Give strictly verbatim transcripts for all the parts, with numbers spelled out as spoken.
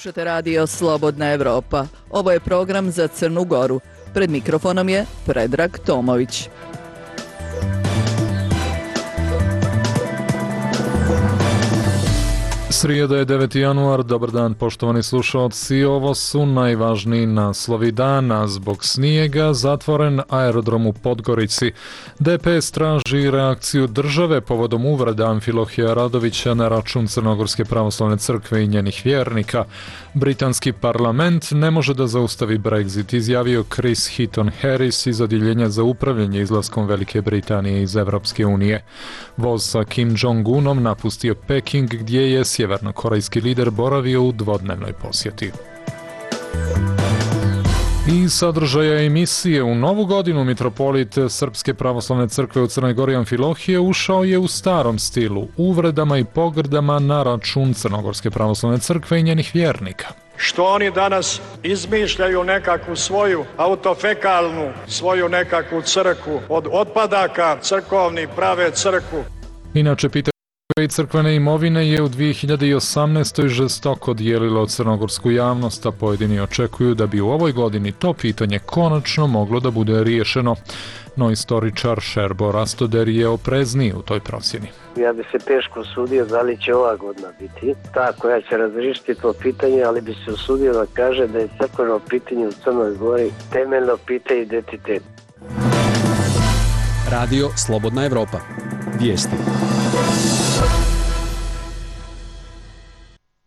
Slušate radio Slobodna Evropa. Ovo je program za Crnu Goru. Pred mikrofonom je Predrag Tomović. Srijeda je deveti januar, dobar dan poštovani slušalci, ovo su najvažniji naslovi dana. Zbog snijega zatvoren aerodrom u Podgorici. D P S traži reakciju države povodom uvreda Amfilohija Radovića na račun Crnogorske pravoslavne crkve i njenih vjernika. Britanski parlament ne može da zaustavi Brexit, izjavio Chris Heaton Harris iz odjeljenja za upravljanje izlaskom Velike Britanije iz Evropske unije. Voz sa Kim Jong-unom napustio Peking, gdje je sjevernokorejski lider boravio u dvodnevnoj posjeti. I sadržaja emisije. U novu godinu mitropolit Srpske pravoslavne crkve u Crnoj Gori Amfilohije ušao je u starom stilu, uvredama i pogrdama na račun Crnogorske pravoslavne crkve i njenih vjernika. Što oni danas izmišljaju nekakvu svoju autofekalnu, svoju nekakvu crkvu, od otpadaka crkovnih prave crkvu. Inače, pitanje i crkvene imovine je u dvije hiljade osamnaestoj žestoko dijelilo crnogorsku javnost, a pojedini očekuju da bi u ovoj godini to pitanje konačno moglo da bude riješeno. No istoričar Šerbo Rastoder je oprezniji u toj procjeni. Ja bi se teško usudio da li će ova godina biti ta koja će razriješiti to pitanje, ali bi se usudio da kaže da je crkveno pitanje u Crnoj Gori temeljno pitanje identiteta. Radio Slobodna Evropa. Vijesti.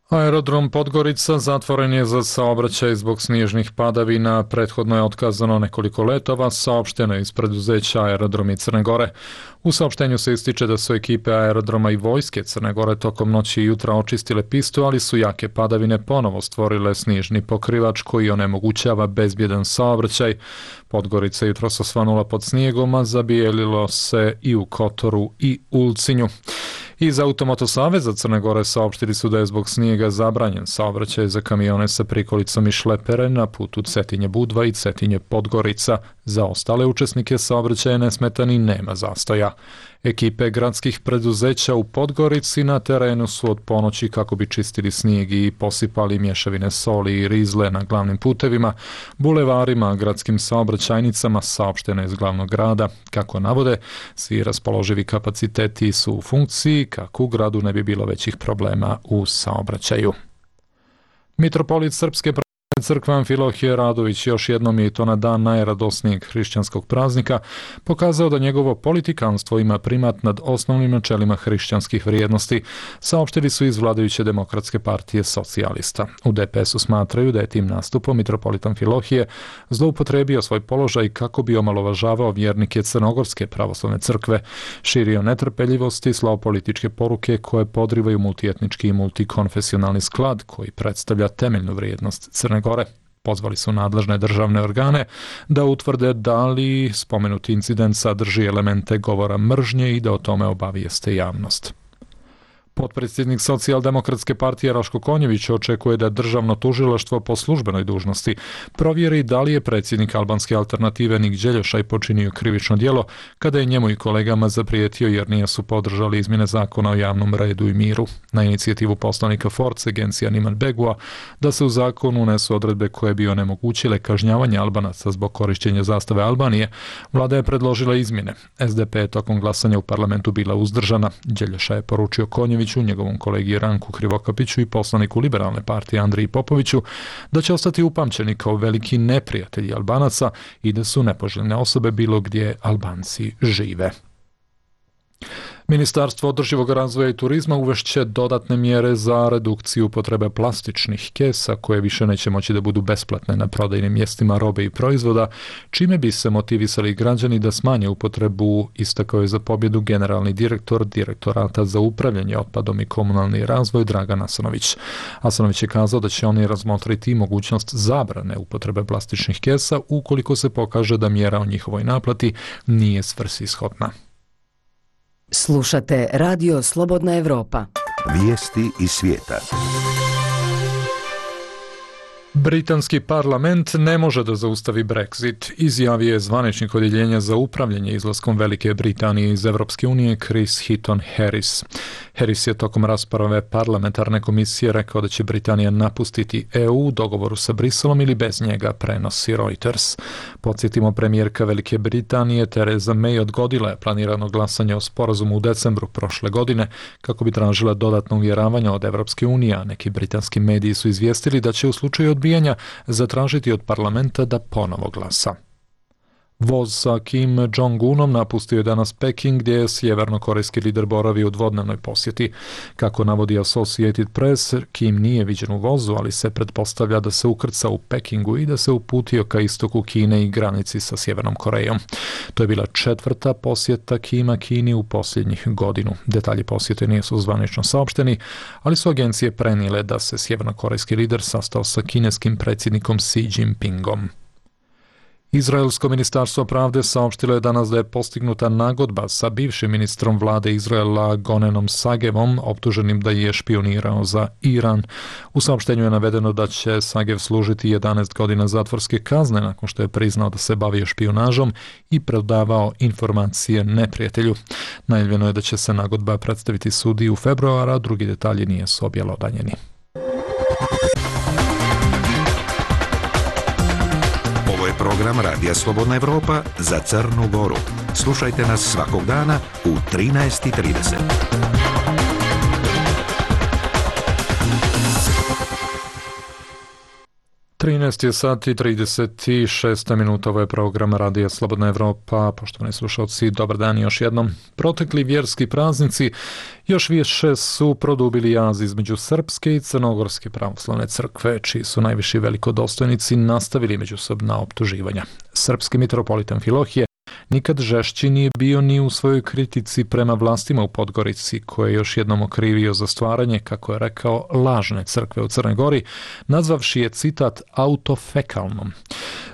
Aerodrom Podgorica zatvoren je za saobraćaj zbog snježnih padavina. Prethodno je otkazano nekoliko letova, saopšteno je iz preduzeća Aerodromi Crne Gore. U saopštenju se ističe da su ekipe aerodroma i vojske Crne Gore tokom noći i jutra očistile pistu, ali su jake padavine ponovo stvorile snježni pokrivač koji onemogućava bezbjedan saobraćaj. Podgorica jutros osvanula pod snijegom, a zabijelilo se i u Kotoru i Ulcinju. Iz Automoto Saveza Crne Gore saopštili su da je zbog snijega zabranjen saobraćaj za kamione sa prikolicom i šlepere na putu Cetinje-Budva i Cetinje-Podgorica. Za ostale učesnike saobraćaja nesmetan i nema zastoja. Ekipe gradskih preduzeća u Podgorici na terenu su od ponoći kako bi čistili snijeg i posipali mješavine soli i rizle na glavnim putevima, bulevarima, gradskim saobraćajnicama, saopšteno iz glavnog grada. Kako navode, svi raspoloživi kapaciteti su u funkciji kako u gradu ne bi bilo većih problema u saobraćaju. Mitropolit Srpske crkve Amfilohije Radović još jednom je, i to na dan najradosnijeg hrišćanskog praznika, pokazao da njegovo politikanstvo ima primat nad osnovnim načelima hrišćanskih vrijednosti, saopštili su iz vladajuće Demokratske partije socijalista. U D P S-u smatraju da je tim nastupom mitropolit Amfilohije zloupotrebio svoj položaj kako bi omalovažavao vjernike Crnogorske pravoslavne crkve, širio netrpeljivost i slao političke poruke koje podrivaju multietnički i multikonfesionalni sklad koji predstavlja temeljnu vrijednost Crne Gore. Pozvali su nadležne državne organe da utvrde da li spomenuti incident sadrži elemente govora mržnje i da o tome obavijeste javnost. Potpredsjednik Socijaldemokratske partije Raško Konjević očekuje da državno tužilaštvo po službenoj dužnosti provjeri da li je predsjednik albanske alternative Nik Đeljošaj počinio krivično djelo kada je njemu i kolegama zaprijetio jer nisu podržali izmjene zakona o javnom redu i miru. Na inicijativu poslanika Force Agencija Niman Begua da se u zakonu unesu odredbe koje bi onemogućile kažnjavanje Albanaca zbog korištenja zastave Albanije, vlada je predložila izmjene. S D P je tokom glasanja u parlamentu bila uzdržana. Đeljošaj je poručio Konjević u njegovom kolegi Ranku Krivokapiću i poslaniku Liberalne partije Andriji Popoviću da će ostati upamćeni kao veliki neprijatelji Albanaca i da su nepoželjne osobe bilo gdje Albanci žive. Ministarstvo održivog razvoja i turizma uvešće dodatne mjere za redukciju potrebe plastičnih kesa koje više neće moći da budu besplatne na prodajnim mjestima robe i proizvoda, čime bi se motivisali građani da smanje upotrebu, istakao je za pobjedu generalni direktor Direktorata za upravljanje otpadom i komunalni razvoj Dragan Asanović. Asanović je kazao da će oni razmotriti mogućnost zabrane upotrebe plastičnih kesa ukoliko se pokaže da mjera o njihovoj naplati nije svrsishodna. Slušate Radio Slobodna Evropa. Vijesti iz svijeta. Britanski parlament ne može da zaustavi Brexit, izjavio je zvaničnik odjeljenja za upravljanje izlaskom Velike Britanije iz Evropske unije Chris Heaton Harris. Harris je tokom rasprave parlamentarne komisije rekao da će Britanija napustiti E U u dogovoru sa Briselom ili bez njega, prenosi Reuters. Podsjetimo, premijerka Velike Britanije Theresa May odgodila je planirano glasanje o sporazumu u decembru prošle godine kako bi tražila dodatno uvjeravanja od Evropske unije, a neki britanski mediji su izvijestili da će u slučaju odbijanja zatražiti od parlamenta da ponovo glasa. Voz sa Kim Jong-unom napustio je danas Peking, gdje je sjevernokorejski lider boravio u dvodnevnoj posjeti. Kako navodi Associated Press, Kim nije viđen u vozu, ali se pretpostavlja da se ukrca u Pekingu i da se uputio ka istoku Kine i granici sa Sjevernom Korejom. To je bila četvrta posjeta Kima Kini u posljednjih godinu. Detalji posjete nisu zvanično saopšteni, ali su agencije prenijele da se sjevernokorejski lider sastao sa kineskim predsjednikom Xi Jinpingom. Izraelsko ministarstvo pravde saopštilo je danas da je postignuta nagodba sa bivšim ministrom vlade Izraela Gonenom Sagevom, optuženim da je špionirao za Iran. U saopštenju je navedeno da će Sagev služiti jedanaest godina zatvorske kazne nakon što je priznao da se bavio špijunažom i predavao informacije neprijatelju. Najavljeno je da će se nagodba predstaviti sudi u februara, a drugi detalji nisu objelodanjeni. Program Radija Slobodna Evropa za Crnu Goru. Slušajte nas svakog dana u trinaest i trideset. trinaest je sati i trideset šest minuta, ovo je program Radija Slobodna Evropa. Poštovani slušalci, dobar dan još jednom. Protekli vjerski praznici još više su produbili jaz između Srpske i Crnogorske pravoslavne crkve, čiji su najviši velikodostojnici nastavili međusobna optuživanja. Srpski mitropolit Amfilohije nikad žešći nije bio ni u svojoj kritici prema vlastima u Podgorici, koje je još jednom okrivio za stvaranje, kako je rekao, lažne crkve u Crnoj Gori, nazvavši je, citat, autofekalnom.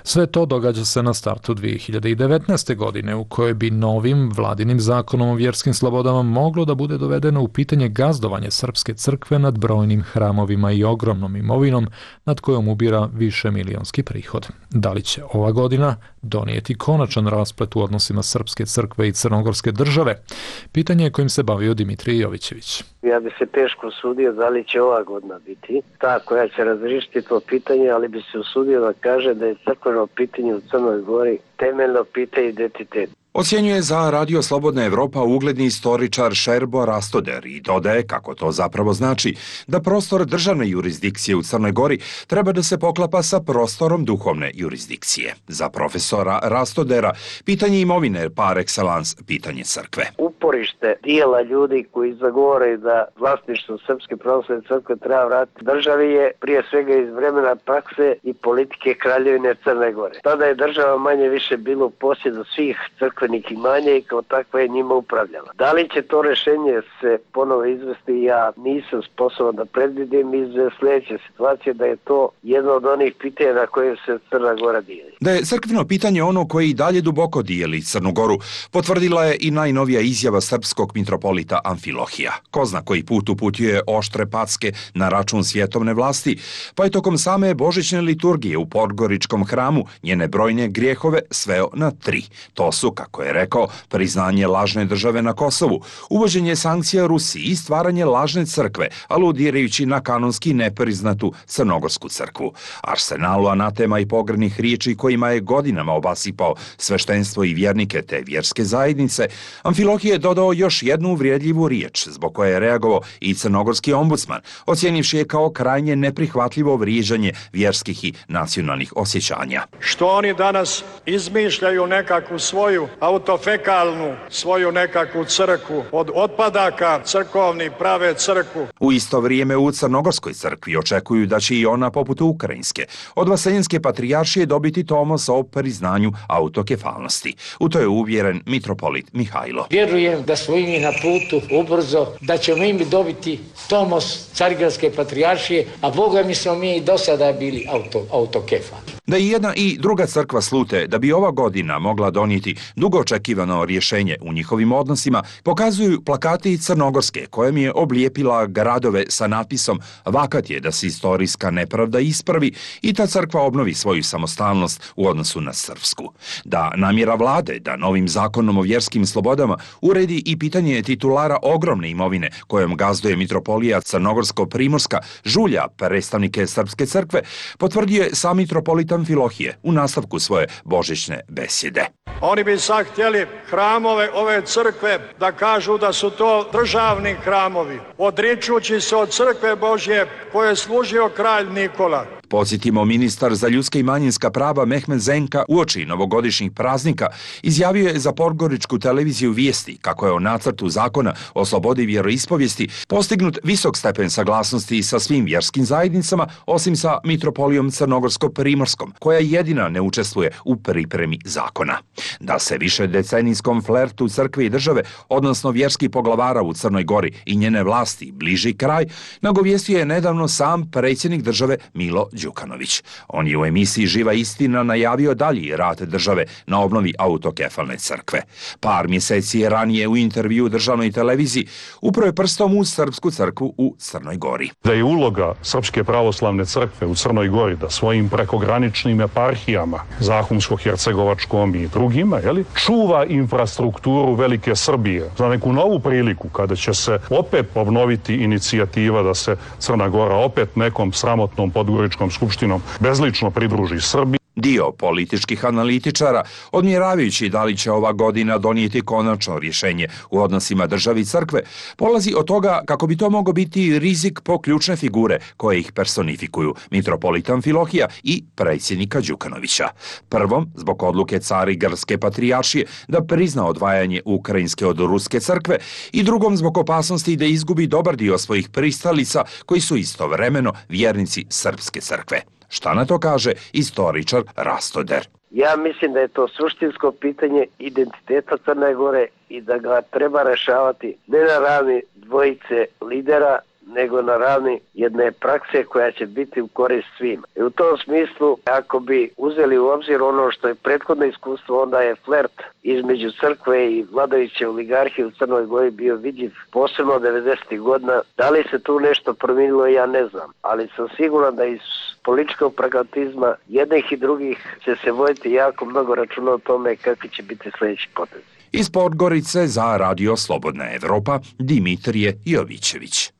Sve to događa se na startu dvije hiljade devetnaeste. godine, u kojoj bi novim vladinim zakonom o vjerskim slobodama moglo da bude dovedeno u pitanje gazdovanje Srpske crkve nad brojnim hramovima i ogromnom imovinom nad kojom ubira više milionski prihod. Da li će ova godina donijeti konačan rasplet u odnosima Srpske crkve i Crnogorske države? Pitanje je kojim se bavio Dimitrij Jovićević. Ja bi se teško usudio da li će ova godina biti ta koja će razriješiti to pitanje, ali bi se usudio da kaže da je crkveno pitanje u Crnoj Gori temeljno pitanje identitet. Ocjenjuje za Radio Slobodna Evropa ugledni istoričar Šerbo Rastoder i dodaje kako to zapravo znači da prostor državne jurisdikcije u Crnoj Gori treba da se poklapa sa prostorom duhovne jurisdikcije. Za profesora Rastodera pitanje imovine par excellence pitanje crkve. Uporište dijela ljudi koji zagovaraju da vlasništvo Srpske pravoslavne crkve treba vratiti državi je prije svega iz vremena prakse i politike Kraljevine Crne Gore. Tada je država manje više bilo u posjedu svih crkve imanja i kao takva je njima upravljala. Da li će to rješenje se ponovo izvesti, ja nisam sposoban da predvidim iz sljedeće situacije da je to jedno od onih pitanja na koje se Crna Gora dijeli. Da je crkveno pitanje ono koje i dalje duboko dijeli Crnu Goru, potvrdila je i najnovija izjava srpskog mitropolita Amfilohija. Ko zna koji put uputio je oštre packe na račun svjetovne vlasti, pa je tokom same božićne liturgije u Podgoričkom hramu njene brojne grijehove sveo na tri. To su, kako je rekao, priznanje lažne države na Kosovu, uvođenje sankcija Rusiji i stvaranje lažne crkve, aludirajući na kanonski nepriznatu Crnogorsku crkvu. Arsenalu anatema i pogrdnih riječi kojima je godinama obasipao sveštenstvo i vjernike te vjerske zajednice, Amfilohije je dodao još jednu uvrijedljivu riječ, zbog koje je reagovao i crnogorski ombudsman, ocjenivši je kao krajnje neprihvatljivo vrijeđanje vjerskih i nacionalnih osjećanja. Što oni danas izmišljaju nekakvu svoju autofekalnu, svoju nekakvu crkvu, od otpadaka crkovni prave crkvu. U isto vrijeme u Crnogorskoj crkvi očekuju da će i ona, poput ukrajinske, od Vaseljenske patrijaršije dobiti tomos o priznanju autokefalnosti. U to je uvjeren mitropolit Mihajlo. Vjerujem da smo mi na putu ubrzo, da ćemo im dobiti tomos Carigradske patrijaršije, a Boga mi smo mi i do sada bili auto, autokefali. Da i jedna i druga crkva slute da bi ova godina mogla donijeti dugo dugo očekivano rješenje u njihovim odnosima pokazuju plakati crnogorske kojem je oblijepila gradove sa natpisom "Vakat je da se istorijska nepravda ispravi i ta crkva obnovi svoju samostalnost u odnosu na srpsku. Da namjera vlade da novim zakonom o vjerskim slobodama uredi i pitanje titulara ogromne imovine kojom gazduje mitropolija Crnogorsko-Primorska žulja predstavnike Srpske crkve, potvrdio je sam mitropolit Amfilohije u nastavku svoje božićne besjede. Oni bi sad htjeli hramove ove crkve da kažu da su to državni hramovi, odričući se od crkve Božje koje je služio kralj Nikola. Podsjetimo, ministar za ljudska i manjinska prava Mehmed Zenka uoči novogodišnjih praznika izjavio je za podgoričku televiziju Vijesti kako je o nacrtu zakona o slobodi vjeroispovijesti postignut visok stepen saglasnosti sa svim vjerskim zajednicama, osim sa mitropolijom Crnogorsko-Primorskom, koja jedina ne učestvuje u pripremi zakona. Da se više decenijskom flertu crkve i države, odnosno vjerskih poglavara u Crnoj Gori i njene vlasti bliži kraj, nagovijestio je nedavno sam predsjednik države Milo Đukanović. On je u emisiji Živa istina najavio dalji rad države na obnovi autokefalne crkve. Par mjeseci ranije u intervju državnoj televiziji upro je prstom u Srpsku crkvu u Crnoj Gori. Da je uloga Srpske pravoslavne crkve u Crnoj Gori da svojim prekograničnim eparhijama, Zahumsko-Hercegovačkom i drugima, jeli, čuva infrastrukturu Velike Srbije za neku novu priliku kada će se opet obnoviti inicijativa da se Crna Gora opet nekom sramotnom podgoričkom skupštinom bezlično pridruži Srbiji. Dio političkih analitičara, odmjeravajući da li će ova godina donijeti konačno rješenje u odnosima države i crkve, polazi od toga kako bi to mogao biti rizik po ključne figure koje ih personifikuju, mitropolit Amfilohija i predsjednika Đukanovića. Prvom, zbog odluke Carigrske patrijaršije da prizna odvajanje Ukrajinske od Ruske crkve, i drugom zbog opasnosti da izgubi dobar dio svojih pristalica koji su istovremeno vjernici Srpske crkve. Šta na to kaže istoričar Rastoder? Ja mislim da je to suštinsko pitanje identiteta Crne Gore i da ga treba rešavati ne na ravni dvojice lidera, nego na ravni jedne prakse koja će biti u korist svima. I u tom smislu, ako bi uzeli u obzir ono što je prethodno iskustvo, onda je flert između crkve i vladajuće oligarhije u Crnoj Gori bio vidljiv, posebno devedesetih godina. Da li se tu nešto promijenilo, ja ne znam, ali sam siguran da iz političkog pragmatizma jednih i drugih će se voditi jako mnogo računa o tome kakvi će biti sljedeći potezi. Iz Podgorice za Radio Slobodna Evropa, Dimitrije Jovićević.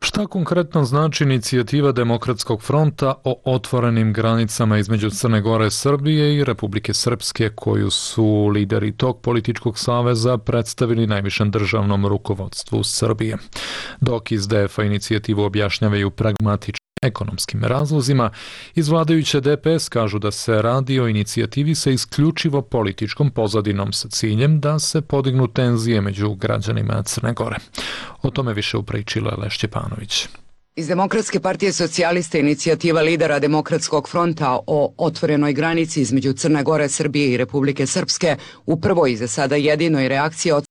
Šta konkretno znači inicijativa Demokratskog fronta o otvorenim granicama između Crne Gore, Srbije i Republike Srpske, koju su lideri tog političkog saveza predstavili najvišem državnom rukovodstvu Srbije? Dok iz D F A inicijativu objašnjavaju pragmatičnim ekonomskim razlozima, iz vladajuće D P S kažu da se radi o inicijativi sa isključivo političkom pozadinom sa ciljem da se podignu tenzije među građanima Crne Gore. O tome više upričila Leš Ćepanović. Iz Demokratske partije socijalista inicijativa lidera Demokratskog fronta o otvorenoj granici između Crne Gore, Srbije i Republike Srpske u prvoj i za sada jedinoj reakciji od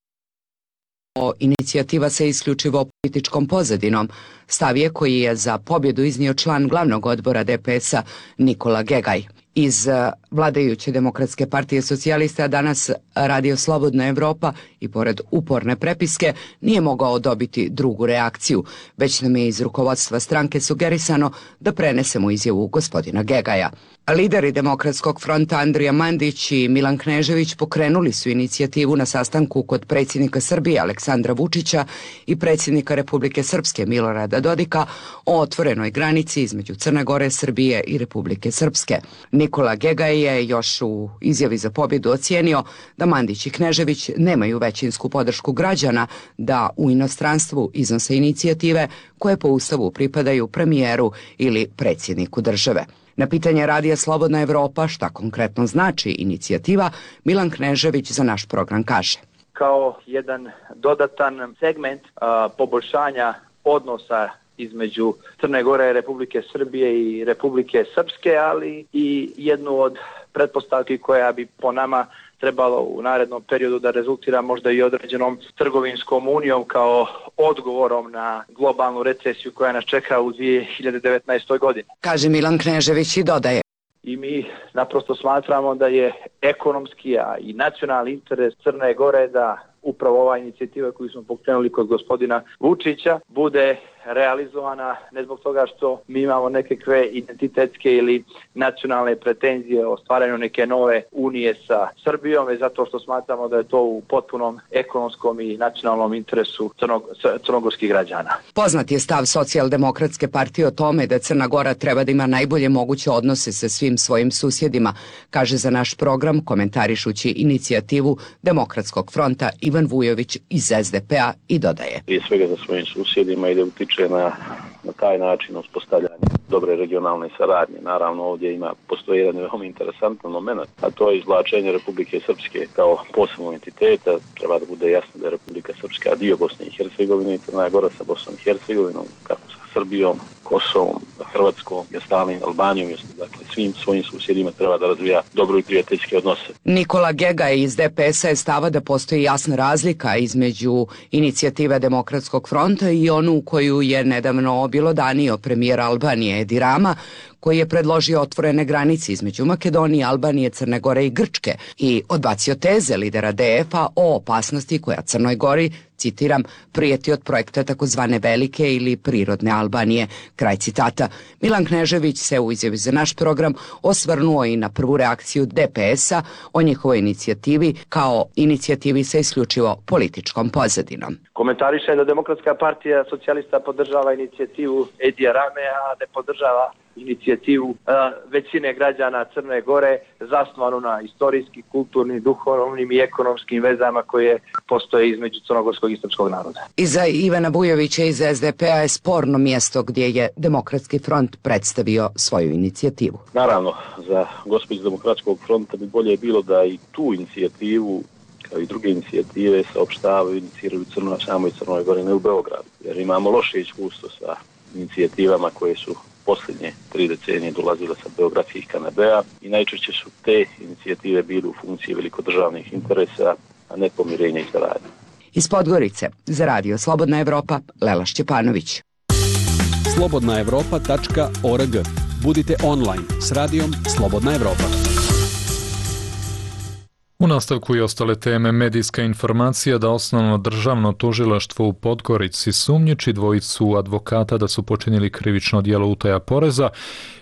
inicijativa sa isključivo političkom pozadinom, stav je koji je za pobjedu iznio član glavnog odbora D P S-a Nikola Gegaj. Iz vladajuće Demokratske partije socijalista danas Radio Slobodna Evropa i pored uporne prepiske nije mogao dobiti drugu reakciju, već nam je iz rukovodstva stranke sugerisano da prenesemo izjavu gospodina Gegaja. Lideri Demokratskog fronta Andrija Mandić i Milan Knežević pokrenuli su inicijativu na sastanku kod predsjednika Srbije Aleksandra Vučića i predsjednika Republike Srpske Milorada Dodika o otvorenoj granici između Crne Gore, Srbije i Republike Srpske. Nikola Gegaj je još u izjavi za pobjedu ocijenio da Mandić i Knežević nemaju većinsku podršku građana da u inostranstvu iznose inicijative koje po Ustavu pripadaju premijeru ili predsjedniku države. Na pitanje Radija Slobodna Evropa šta konkretno znači inicijativa, Milan Knežević za naš program kaže: kao jedan dodatan segment a, poboljšanja odnosa između Crne Gore, Republike Srbije i Republike Srpske, ali i jednu od pretpostavki koja bi po nama trebalo u narednom periodu da rezultira možda i određenom trgovinskom unijom kao odgovorom na globalnu recesiju koja nas čeka u dvije hiljade devetnaestoj. godini. Kaže Milan Knežević i dodaje. I mi naprosto smatramo da je ekonomski, a i nacionalni interes Crne Gore da upravo ova inicijativa koju smo pokrenuli kod gospodina Vučića bude realizovana ne zbog toga što mi imamo nekakve identitetske ili nacionalne pretenzije o stvaranju neke nove unije sa Srbijom, već zato što smatramo da je to u potpunom ekonomskom i nacionalnom interesu crnog, crnogorskih građana. Poznat je stav Socijaldemokratske partije o tome da Crna Gora treba da ima najbolje moguće odnose sa svim svojim susjedima, kaže za naš program komentarišući inicijativu Demokratskog fronta Ivan Vujović iz es de pe a i dodaje. Prije svega za svojim susjedima i da utiče na, na taj način uspostavljanje dobre regionalne saradnje. Naravno ovdje ima, postoji jedan veoma interesantan moment, a to je izvlačenje Republike Srpske kao posebnog entiteta. Treba da bude jasno da je Republika Srpska dio Bosne i Hercegovine i Crna Gora sa Bosnom i Hercegovinom, kako sa Srbijom, Kosovom, Hrvatskom, Stalin, Albanijom, dakle svim svojim susjedima treba da razvija dobro i prijateljske odnose. Nikola Gegaj iz de pe es a je stava da postoji jasna razlika između inicijative Demokratskog fronta i onu koju je nedavno objelodanio premijer Albanije Edi Rama, koji je predložio otvorene granice između Makedonije, Albanije, Crne Gore i Grčke i odbacio teze lidera de ef a o opasnosti koja Crnoj Gori, citiram, prijeti od projekta takozvane velike ili prirodne Albanije. Kraj citata. Milan Knežević se u izjavi za naš program osvrnuo i na prvu reakciju de pe es a o njihovoj inicijativi kao inicijativi sa isključivo političkom pozadinom. Komentariše da Demokratska partija socijalista podržava inicijativu Edija Rame, a ne podržava inicijativu uh, većine građana Crne Gore zasnovanu na istorijskim, kulturnim, duhovnim i ekonomskim vezama koje postoje između crnogorskog i srpskog naroda. I za Ivana Vujovića iz es de pe a je sporno mjesto gdje je Demokratski front predstavio svoju inicijativu. Naravno, za gospođu Demokratskog fronta bi bolje bilo da i tu inicijativu kao i druge inicijative saopštavaju i iniciraju Crno, samoj Crnoj Gori, ne u Beogradu. Jer imamo loše iskustvo sa inicijativama koje su posljednje tri decenije dolazile sa beogradskih kanabea i najčešće su te inicijative bile u funkciji velikodržavnih interesa, a ne pomirenja i saradnje. Iz Podgorice, za Radio Slobodna Evropa, Lela Šćepanović. slobodna evropa tačka org. Budite online s radijom Slobodna Evropa. U nastavku i ostale teme, medijska informacija da osnovno državno tužilaštvo u Podgorici sumnjiči dvojicu advokata da su počinili krivično djelo utaja poreza,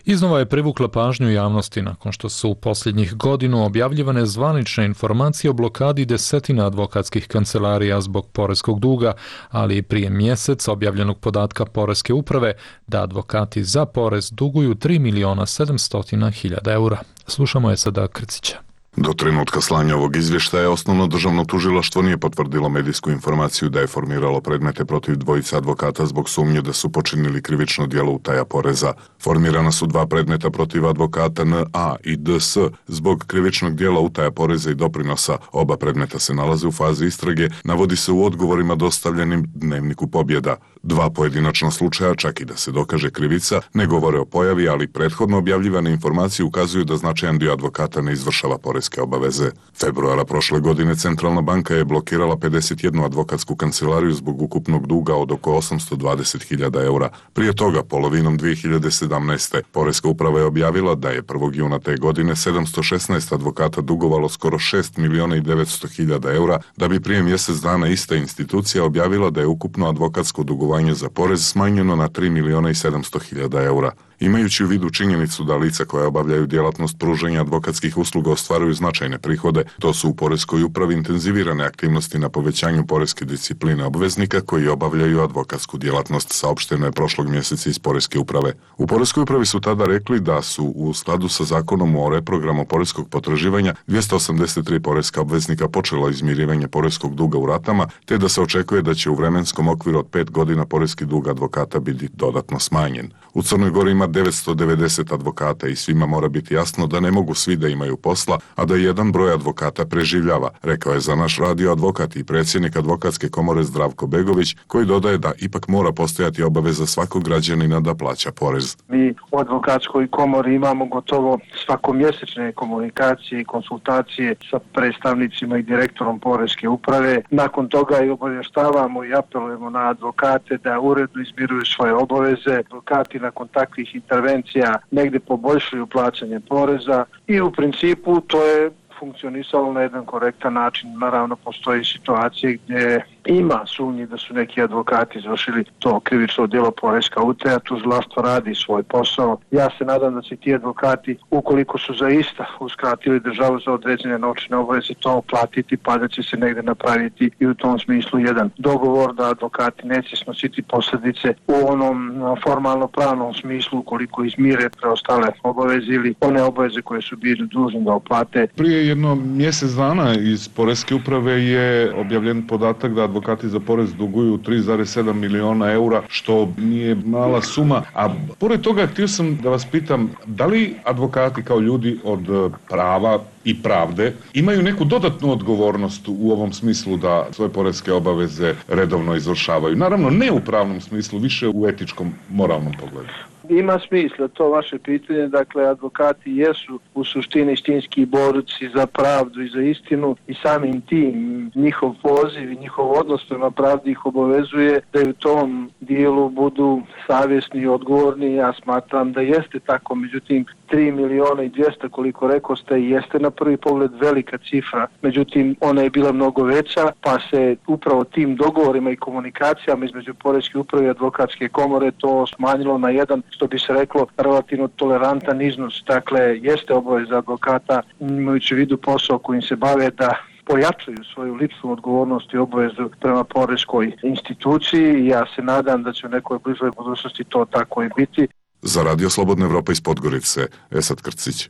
iznova je privukla pažnju javnosti nakon što su u posljednjih godinu objavljivane zvanične informacije o blokadi desetina advokatskih kancelarija zbog poreskog duga, ali i prije mjesec objavljenog podatka Poreske uprave da advokati za porez duguju tri miliona sedamsto hiljada eura. Slušamo je sada Krcića. Do trenutka slanja ovog izvještaja osnovno državno tužilaštvo nije potvrdilo medijsku informaciju da je formiralo predmete protiv dvojice advokata zbog sumnje da su počinili krivično djelo utaja poreza. Formirana su dva predmeta protiv advokata N A i D S zbog krivičnog djela utaja poreza i doprinosa. Oba predmeta se nalaze u fazi istrage, navodi se u odgovorima dostavljenim Dnevniku Pobjeda. Dva pojedinačna slučaja, čak i da se dokaže krivica, ne govore o pojavi, ali prethodno objavljivane informacije ukazuju da značajan dio advokata ne izvršava poreske obaveze. Februara prošle godine Centralna banka je blokirala pedeset jednu advokatsku kancelariju zbog ukupnog duga od oko osamsto dvadeset hiljada eura. Prije toga, polovinom dvije hiljade sedamnaeste. Poreska uprava je objavila da je prvog juna te godine sedamsto šesnaest advokata dugovalo skoro šest miliona i devetsto hiljada eura, da bi prije mjesec dana ista institucija objavila da je ukupno advokatsko dugovanje za porez smanjeno na tri miliona i sedamsto hiljada eura. Imajući u vidu činjenicu da lica koja obavljaju djelatnost pružanja advokatskih usluga ostvaruju značajne prihode, to su u Poreskoj upravi intenzivirane aktivnosti na povećanju poreske discipline obveznika koji obavljaju advokatsku djelatnost, saopšteno je prošlog mjeseca iz Poreske uprave. U Poreskoj upravi su tada rekli da su u skladu sa zakonom o reprogramu poreskog potraživanja dvjesto osamdeset tri poreska obveznika počelo izmirivanje poreskog duga u ratama, te da se očekuje da će u vremenskom okviru od pet godina poreski dug advokata biti dodatno smanjen. U Crnoj Gori ima ima devetsto devedeset advokata i svima mora biti jasno da ne mogu svi da imaju posla, a da jedan broj advokata preživljava, rekao je za naš radio advokat i predsjednik Advokatske komore Zdravko Begović, koji dodaje da ipak mora postojati obaveza svakog građanina da plaća porez. Mi u Advokatskoj komori imamo gotovo svakomjesečne komunikacije i konsultacije sa predstavnicima i direktorom Poreske uprave. Nakon toga i obavještavamo i apelujemo na advokate da uredno izmiruju svoje obaveze. Advokati nakon takvih intervencija negdje poboljšuju plaćanje poreza i u principu to je funkcionisalo na jedan korektan način. Naravno, postoji situacije gdje ima sumnji da su neki advokati izvršili to krivično djelo poreska utaja, tužilaštvo radi svoj posao. Ja se nadam da će ti advokati, ukoliko su zaista uskratili državu za određene novčane obaveze, to platiti, pa da će se negdje napraviti i u tom smislu jedan dogovor da advokati neće snositi posljedice u onom formalno pravnom smislu ukoliko izmire preostale obaveze ili one obaveze koje su bili dužni da oplate. Prije jedno mjesec dana iz Poreske uprave je objavljen podatak da advokati za porez duguju tri zarez sedam miliona eura, što nije mala suma. A pored toga htio sam da vas pitam, da li advokati kao ljudi od prava i pravde imaju neku dodatnu odgovornost u ovom smislu da svoje poreske obaveze redovno izvršavaju? Naravno, ne u pravnom smislu, više u etičkom, moralnom pogledu. Ima smisla to vaše pitanje, dakle advokati jesu u suštini istinski borci za pravdu i za istinu i samim tim njihov poziv i njihov odnos prema pravdi ih obavezuje da u tom dijelu budu savjesni i odgovorni. Ja smatram da jeste tako, međutim tri miliona i dvjesto koliko rekao ste jeste na prvi pogled velika cifra, međutim ona je bila mnogo veća, pa se upravo tim dogovorima i komunikacijama između Poreske uprave i Advokatske komore to smanjilo na jedan, što bi se reklo, relativno tolerantan iznos. Dakle, jeste obaveza advokata, imajući u vidu posao kojim se bave, da pojačaju svoju ličnu odgovornost i obavezu prema poreskoj instituciji i ja se nadam da će u nekoj bližoj budućnosti to tako i biti. Za Radio Slobodna Evropa iz Podgorice, Esad Krcić.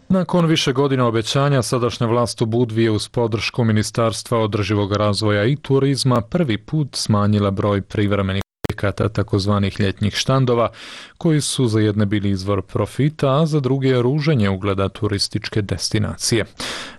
Nakon više godina obećanja, sadašnja vlast u Budvi je uz podršku Ministarstva održivog razvoja i turizma prvi put smanjila broj privremenih objekata takozvanih ljetnih štandova, koji su za jedne bili izvor profita, a za druge ruženje ugleda turističke destinacije.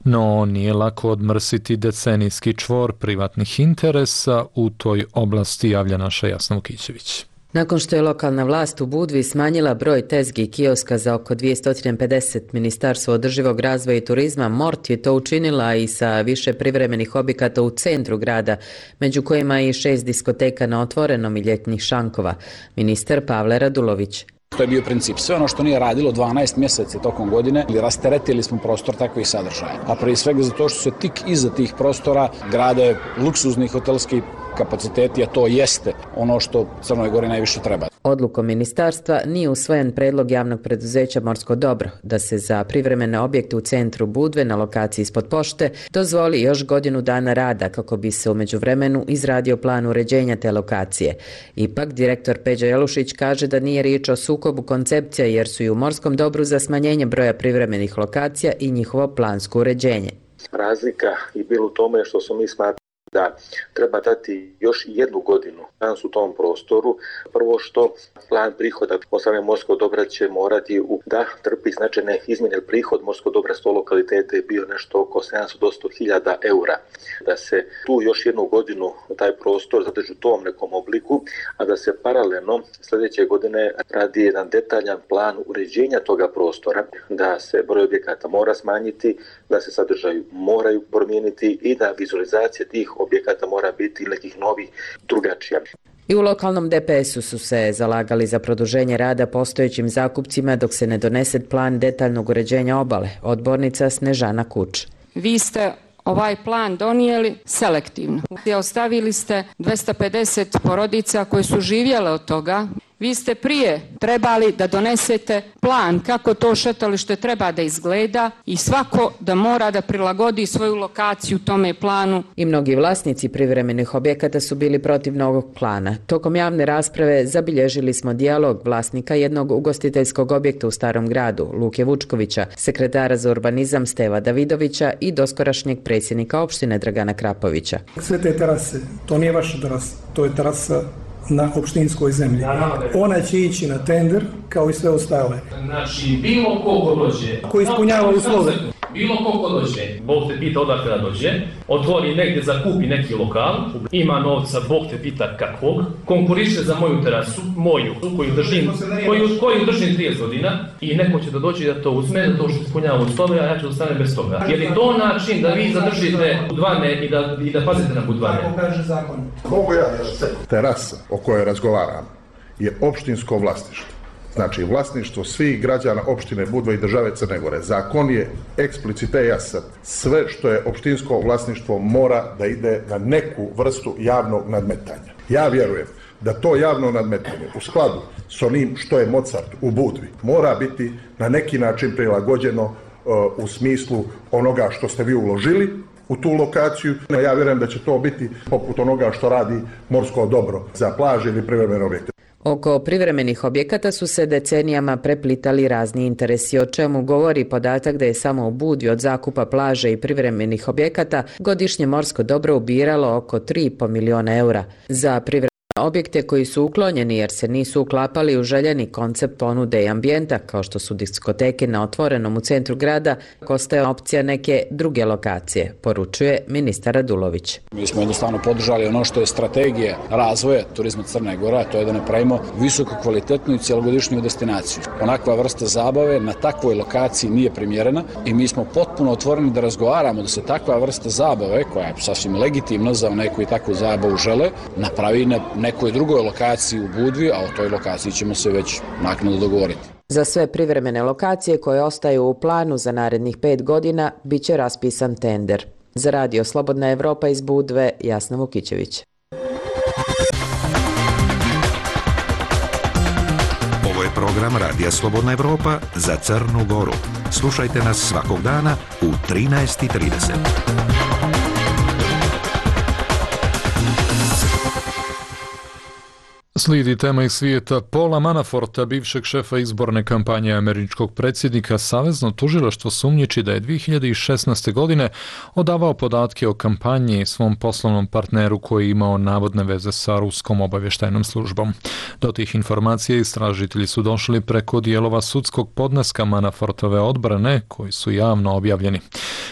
No, nije lako odmrsiti decenijski čvor privatnih interesa u toj oblasti, javlja naša Jasna Vukićević. Nakon što je lokalna vlast u Budvi smanjila broj tezgi i kioska za oko dvjesto pedeset, Ministarstvo održivog razvoja i turizma Mort je to učinila i sa više privremenih objekata u centru grada, među kojima i šest diskoteka na otvorenom i ljetnih šankova. Ministar Pavle Radulović. To je bio princip. Sve ono što nije radilo dvanaest mjeseci tokom godine, ili rasteretili smo prostor takvih sadržaja. A prije svega zato što se tik iza tih prostora grade luksuzni hotelski kapaciteti, a to jeste ono što Crnoj Gori najviše treba. Odlukom ministarstva nije usvojen predlog javnog preduzeća Morsko dobro da se za privremene objekte u centru Budve na lokaciji ispod pošte dozvoli još godinu dana rada kako bi se u međuvremenu izradio plan uređenja te lokacije. Ipak, direktor Peđa Jelušić kaže da nije riječ o sukobu koncepcija jer su i u Morskom dobru za smanjenje broja privremenih lokacija i njihovo plansko uređenje. Razlika je bila u tome što smo mi smatrali da treba dati još jednu godinu u tom prostoru. Prvo što plan prihoda od strane Morskog dobra će morati u, da trpi značajne izmjene. Prihod Morskog dobra sto lokalitete je bio nešto oko sedamsto do sto hiljada eura. Da se tu još jednu godinu taj prostor zadrži u tom nekom obliku, a da se paralelno sljedeće godine radi jedan detaljan plan uređenja toga prostora, da se broj objekata mora smanjiti, da se sadržaju moraju promijeniti i da vizualizacija tih objekata mora biti nekih novih drugačija. I u lokalnom D P S-u su se zalagali za produženje rada postojećim zakupcima dok se ne donese plan detaljnog uređenja obale. Odbornica Snežana Kuč. Vi ste ovaj plan donijeli selektivno. Ostavili ste dvjesto pedeset porodica koje su živjele od toga. Vi ste prije trebali da donesete plan kako to šetalište treba da izgleda i svako da mora da prilagodi svoju lokaciju tome planu. I mnogi vlasnici privremenih objekata su bili protiv novog plana. Tokom javne rasprave zabilježili smo dijalog vlasnika jednog ugostiteljskog objekta u Starom gradu, Luke Vučkovića, sekretara za urbanizam Steva Davidovića i doskorašnjeg predsjednika opštine Dragana Krapovića. Sve te terase, to nije vaša terasa, to je terasa na opštinskoj zemlji. Ona će ići na tender kao i sve ostale. Znači, bilo ko ko dođe, ko ispunjava uslove. Bilo ko ko dođe, Bog te pita odakle da dođe, otvori negdje, zakupi neki lokal, ima novca, Bog te pita kakvog, konkuriše za moju terasu, moju, koju držim, koju, koju držim trideset godina i neko će da dođe da to uzme, da to što ispunjava uslove, a ja ću da stane bez toga. Je li to način da vi zadržite budvane i da, i da pazite na budvane? Tako kaže zakon. Mogu ja terasa o kojoj razgovaram je opštinsko vlasništvo. Znači, vlasništvo svih građana opštine Budva i države Crne Gore. Zakon je eksplicite jasan. Sve što je opštinsko vlasništvo mora da ide na neku vrstu javnog nadmetanja. Ja vjerujem da to javno nadmetanje u skladu s onim što je Mozart u Budvi mora biti na neki način prilagođeno uh, u smislu onoga što ste vi uložili u tu lokaciju. Ja vjerujem da će to biti poput onoga što radi Morsko dobro za plaže ili privremene objekte. Oko privremenih objekata su se decenijama preplitali razni interesi, o čemu govori podatak da je samo u Budvi od zakupa plaže i privremenih objekata godišnje Morsko dobro ubiralo oko tri i pol miliona eura. Za privremene objekte koji su uklonjeni jer se nisu uklapali u željeni koncept ponude i ambijenta, kao što su diskoteke na otvorenom u centru grada, ostaje opcija neke druge lokacije, poručuje ministar Radulović. Mi smo jednostavno podržali ono što je strategija razvoja turizma Crne Gore, a to je da napravimo visoko kvalitetnu i cjelogodišnju destinaciju. Onakva vrsta zabave na takvoj lokaciji nije primjerena i mi smo potpuno otvoreni da razgovaramo da se takva vrsta zabave, koja je sasvim legitimna za neku i takvu zabavu žele, napravi na nekoj drugoj lokaciji u Budvi, a o toj lokaciji ćemo se već naknadno dogovoriti. Za sve privremene lokacije koje ostaju u planu za narednih pet godina bit će raspisan tender. Za radio Slobodna Evropa iz Budve, Jasna Vukićević. Ovo je program Radija Slobodna Evropa za Crnu Goru. Slušajte nas svakog dana u trinaest i trideset. Slijedi tema iz svijeta. Paula Manaforta, bivšeg šefa izborne kampanje američkog predsjednika, savezno tužilaštvo sumnjiči da je dvije hiljade šesnaeste. godine odavao podatke o kampanji svom poslovnom partneru koji je imao navodne veze sa ruskom obavještajnom službom. Do tih informacija istražitelji su došli preko dijelova sudskog podneska Manafortove odbrane koji su javno objavljeni.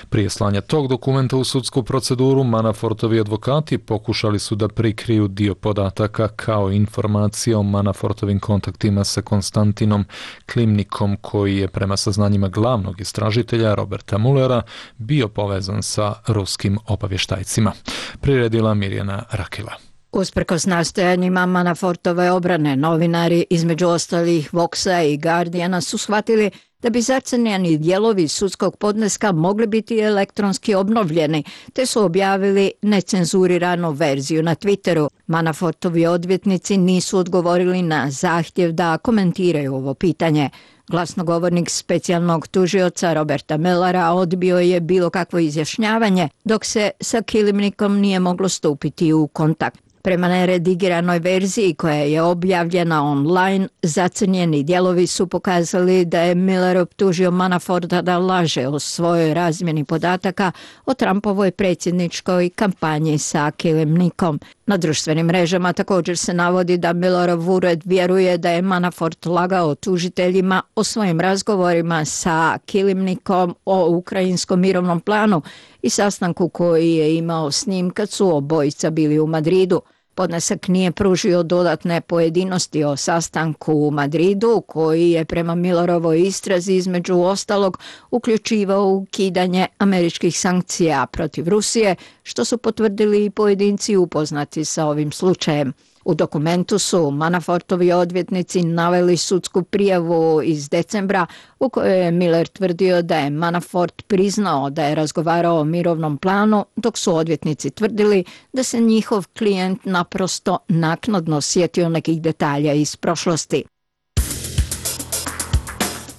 Prije slanja tog dokumenta u sudsku proceduru, Manafortovi advokati pokušali su da prikriju dio podataka kao informacije o Manafortovim kontaktima sa Konstantinom Klimnikom, koji je prema saznanjima glavnog istražitelja Roberta Mullera bio povezan sa ruskim obavještajcima. Priredila Mirjana Rakela. Usprkos nastojanjima Manafortove obrane, novinari između ostalih Voxa i Guardiana su shvatili da bi zacrnjeni dijelovi sudskog podneska mogli biti elektronski obnovljeni, te su objavili necenzuriranu verziju na Twitteru. Manafortovi odvjetnici nisu odgovorili na zahtjev da komentiraju ovo pitanje. Glasnogovornik specijalnog tužioca Roberta Mullera odbio je bilo kakvo izjašnjavanje, dok se sa Kilimnikom nije moglo stupiti u kontakt. Prema neredigiranoj verziji koja je objavljena online, zacrnjeni dijelovi su pokazali da je Muller optužio Manaforta da laže o svojoj razmjeni podataka o Trumpovoj predsjedničkoj kampanji sa Kilimnikom. Na društvenim mrežama također se navodi da Mullerov ured vjeruje da je Manafort lagao tužiteljima o svojim razgovorima sa Kilimnikom o ukrajinskom mirovnom planu i sastanku koji je imao s njim kad su obojica bili u Madridu. Podnesak nije pružio dodatne pojedinosti o sastanku u Madridu, koji je prema Mullerovoj istrazi između ostalog uključivao ukidanje američkih sankcija protiv Rusije, što su potvrdili i pojedinci upoznati sa ovim slučajem. U dokumentu su Manafortovi odvjetnici naveli sudsku prijavu iz decembra u kojoj je Miller tvrdio da je Manafort priznao da je razgovarao o mirovnom planu, dok su odvjetnici tvrdili da se njihov klijent naprosto naknadno sjetio nekih detalja iz prošlosti.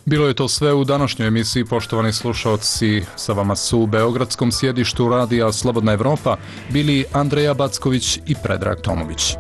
Bilo je to sve u današnjoj emisiji, poštovani slušalci. Sa vama su u beogradskom sjedištu radija Slobodna Evropa bili Andreja Backović i Predrag Tomović.